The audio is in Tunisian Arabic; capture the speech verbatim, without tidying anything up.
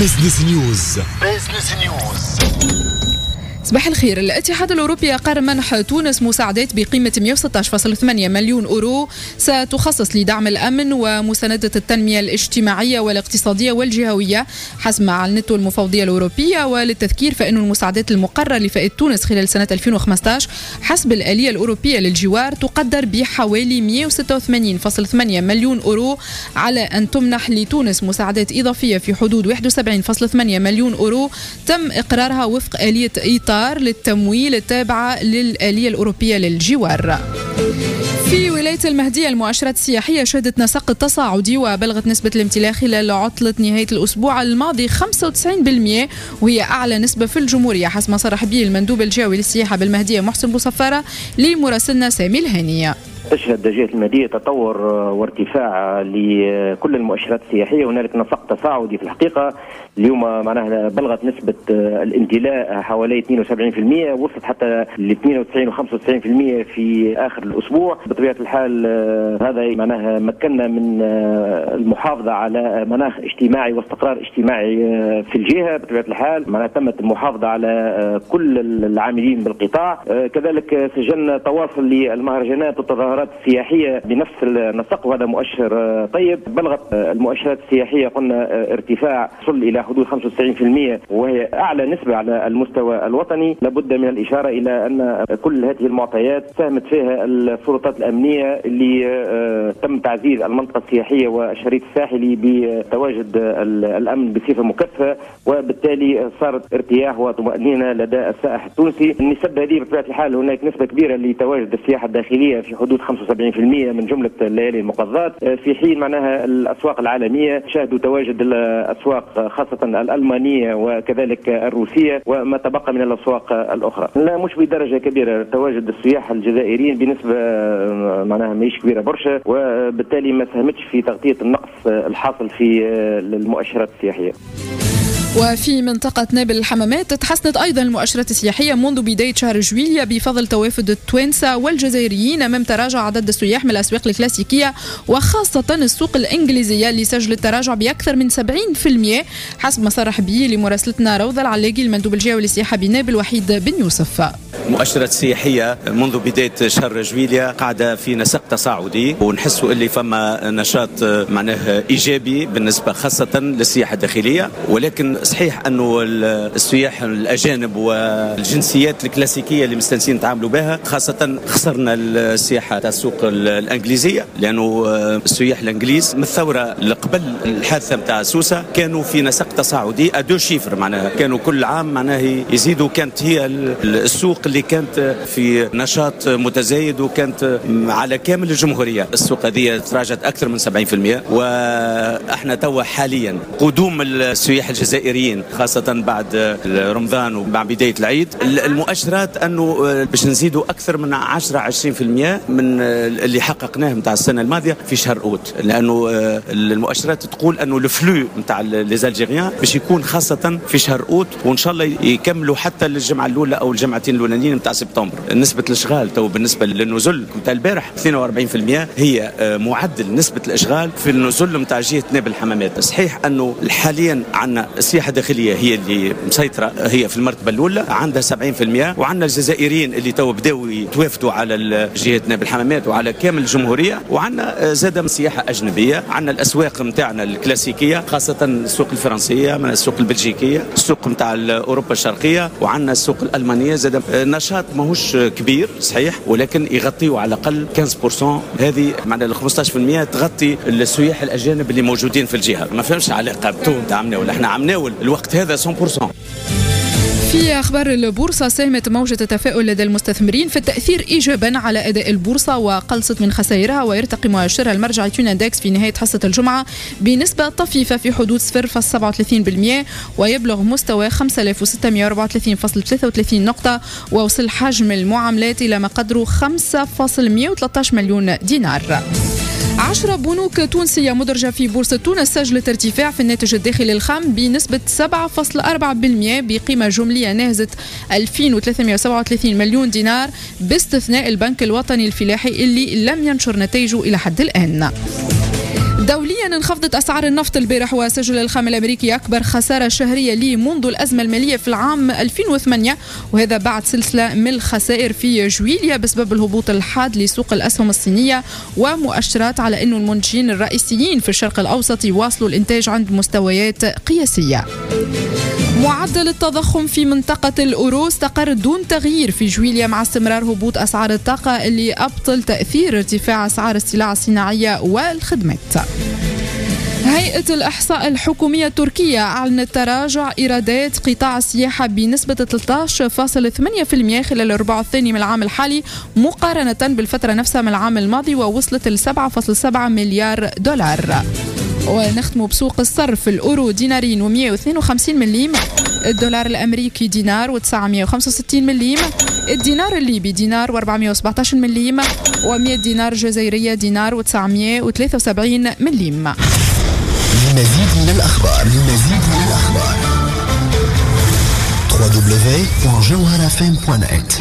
Business News. Business News. صباح الخير. الاتحاد الأوروبي أقر منح تونس مساعدات بقيمة مئة وستة عشر فاصلة ثمانية مليون أورو ستخصص لدعم الأمن ومساندة التنمية الاجتماعية والاقتصادية والجهوية حسب ما أعلنته المفوضية الأوروبية. وللتذكير فإن المساعدات المقررة لفائدة تونس خلال سنة ألفين وخمسة عشر حسب الآلية الأوروبية للجوار تقدر بحوالي مئة وستة وثمانين فاصلة ثمانية مليون أورو، على أن تمنح لتونس مساعدات إضافية في حدود واحد وسبعين فاصلة ثمانية مليون أورو تم إقرارها وفق آلية إطار للتمويل التابعة للآلية الأوروبية للجوار. في ولاية المهدية المؤشرات السياحية شهدت نسق تصاعدي وبلغت نسبة الامتلاء خلال عطلة نهاية الأسبوع الماضي خمسة وتسعين بالمئة، وهي أعلى نسبة في الجمهورية حسب ما صرح به المندوب الجهوي للسياحة بالمهدية محسن بوصفارة لمراسلنا سامي الهانية. تشهد جهة المهدية تطور وارتفاع لكل المؤشرات السياحية، هنالك نسق تصاعدي في الحقيقة. اليوم معناها بلغت نسبة الامتلاء حوالي اثنين وسبعين بالمئة، وصلت حتى ل اثنين وتسعين وخمسة وتسعين بالمئة في آخر الأسبوع. بطبيعة الحال هذا معناها مكننا من المحافظة على مناخ اجتماعي واستقرار اجتماعي في الجهة. بطبيعة الحال معناها تمت المحافظة على كل العاملين بالقطاع. كذلك سجلنا تواصل للمهرجانات والتظاهرات السياحية بنفس النسق، وهذا مؤشر طيب. بلغت المؤشرات السياحية قلنا ارتفاع وصل إلى حدود خمسة وتسعين بالمئة، وهي أعلى نسبة على المستوى الوطني. لابد من الإشارة إلى أن كل هذه المعطيات ساهمت فيها السلطات الأمنية اللي تم تعزيز المنطقة السياحية والشريط الساحلي بتواجد الأمن بصفة مكثفة، وبالتالي صارت ارتياح وطمأنينة لدى السائح التونسي. النسب هذه بطبيعة الحال هناك نسبة كبيرة لتواجد السياحة الداخلية في حدود خمسة وسبعين بالمئة من جملة الليالي المقضات، في حين معناها الأسواق العالمية شهدوا تواجد الأسواق خاصة الألمانية وكذلك الروسية وما تبقى من الأسواق الأخرى. لا مش بدرجة كبيرة، تواجد السياح الجزائريين بنسبة معناها ماهيش كبيرة برشا، وبالتالي ما ساهمتش في تغطية النقص الحاصل في المؤشرات السياحية. وفي منطقة نابل الحمامات تحسنت أيضا المؤشرات السياحية منذ بداية شهر جويلية بفضل توافد التوانسة والجزائريين أمام تراجع عدد السياح من الأسواق الكلاسيكية وخاصة السوق الإنجليزية اللي سجلت تراجع بأكثر من سبعين بالمئة حسب ما صرح به لمراسلتنا روضة العلاقي المندوب الجهوي للسياحة بنابل وحيد بن يوسف. المؤشرات السياحية منذ بداية شهر جويلية قاعدة في نسق تصاعدي، ونحسوا اللي فما نشاط معناه إيجابي بالنسبة خاصة للسياحة الداخلية. ولكن صحيح أنه السياح الأجانب والجنسيات الكلاسيكية اللي مستانسين نتعاملوا بها، خاصة خسرنا السياحة تاع السوق الإنجليزية، لأنه السياح الإنجليز من الثورة اللي قبل الحادثة نتاع سوسة كانوا في نسق تصاعدي à deux chiffres، معناها كانوا كل عام معناها يزيدوا. كانت هي السوق اللي كانت في نشاط متزايد وكانت على كامل الجمهورية. السوق هذه تراجعت أكثر من سبعين بالمئة، وإحنا توا حاليا قدوم السياح الجزائريين خاصة بعد رمضان ومع بداية العيد، المؤشرات أنه باش نزيدوا أكثر من عشرة عشرين بالمئة من اللي حققناه نتاع السنة الماضية في شهر أوت، لأنه المؤشرات تقول أنه le flux نتاع les Algériens باش يكون خاصة في شهر أوت، وإن شاء الله يكملوا حتى للجمعة الأولى أو الجمعتين الأولانيين نتاع سبتمبر. نسبة الإشغال تو بالنسبة للنزل نتاع البارح اثنين وأربعين بالمئة هي معدل نسبة الإشغال في النزل نتاع جهة نابل الحمامات. صحيح أنه حاليا عندنا السياحة الداخلية هي اللي مسيطرة، هي في المرتبة الأولى عندها سبعين بالمئة، وعندنا الجزائريين اللي تو بداوا يتوافدوا على جهة نابل الحمامات وعلى كامل الجمهورية، وعندنا زاد سياحة أجنبية. عندنا الأسواق نتاعنا الكلاسيكية خاصة السوق الفرنسية، من السوق البلجيكية، السوق نتاع أوروبا الشرقية، وعندنا السوق الألمانية. زاد نشاط ماهوش كبير صحيح، ولكن يغطيوا على الأقل خمسة عشر بالمئة، هذه معناها ال خمسة عشر بالمئة تغطي السياح الأجانب اللي موجودين في الجهة. ما فهمش علاقة بتو نتاع عمناول، احنا عمناول الوقت هذا مئة بالمئة. في أخبار البورصة، ساهمت موجة التفاؤل لدى المستثمرين في التأثير إيجابا على أداء البورصة وقلصت من خسائرها، ويرتقي مؤشرها المرجعي Tunindex في نهاية حصة الجمعة بنسبة طفيفة في حدود صفر فاصلة سبعة وثلاثين بالمئة ويبلغ مستوى خمسة آلاف وستمئة وأربعة وثلاثين فاصلة ثلاثة وثلاثين نقطة، ووصل حجم المعاملات إلى ما قدره خمسة فاصلة مئة وثلاثة عشر مليون دينار. عشرة بنوك تونسية مدرجة في بورصة تونس سجلت ارتفاع في الناتج الداخلي الخام بنسبة سبعة فاصلة أربعة بالمئة بقيمة جملية ناهزت ألفين وثلاثمئة وسبعة وثلاثين مليون دينار، باستثناء البنك الوطني الفلاحي اللي لم ينشر نتائجه إلى حد الآن. دوليا انخفضت أسعار النفط البارح، وسجل الخام الأمريكي أكبر خسارة شهرية ليه منذ الأزمة المالية في العام ألفين وثمانية، وهذا بعد سلسلة من الخسائر في جويليا بسبب الهبوط الحاد لسوق الأسهم الصينية ومؤشرات على أن المنتجين الرئيسيين في الشرق الأوسط يواصلوا الإنتاج عند مستويات قياسية. معدل التضخم في منطقة الأورو استقر دون تغيير في جويليا مع استمرار هبوط أسعار الطاقة اللي أبطل تأثير ارتفاع أسعار السلع الصناعية والخدمات. هيئة الإحصاء الحكومية التركية أعلنت تراجع إيرادات قطاع السياحة بنسبة ثلاثة عشر فاصلة ثمانية بالمئة خلال الربع الثاني من العام الحالي مقارنة بالفترة نفسها من العام الماضي، ووصلت ل سبعة فاصلة سبعة مليار دولار. ونختم بسوق الصرف، الأورو دينارين ومئة واثنين وخمسين مليم، الدولار الأمريكي دينار وتسعمئة وخمسة وستين مليم، الدينار الليبي دينار وأربعمئة وسبعة عشر مليم، ومئة دينار جزائرية دينار وتسعمئة وثلاثة وسبعين مليم. للمزيد من الأخبار للمزيد من الأخبار دبليو دبليو دبليو دوت جوهرة إف إم دوت نت.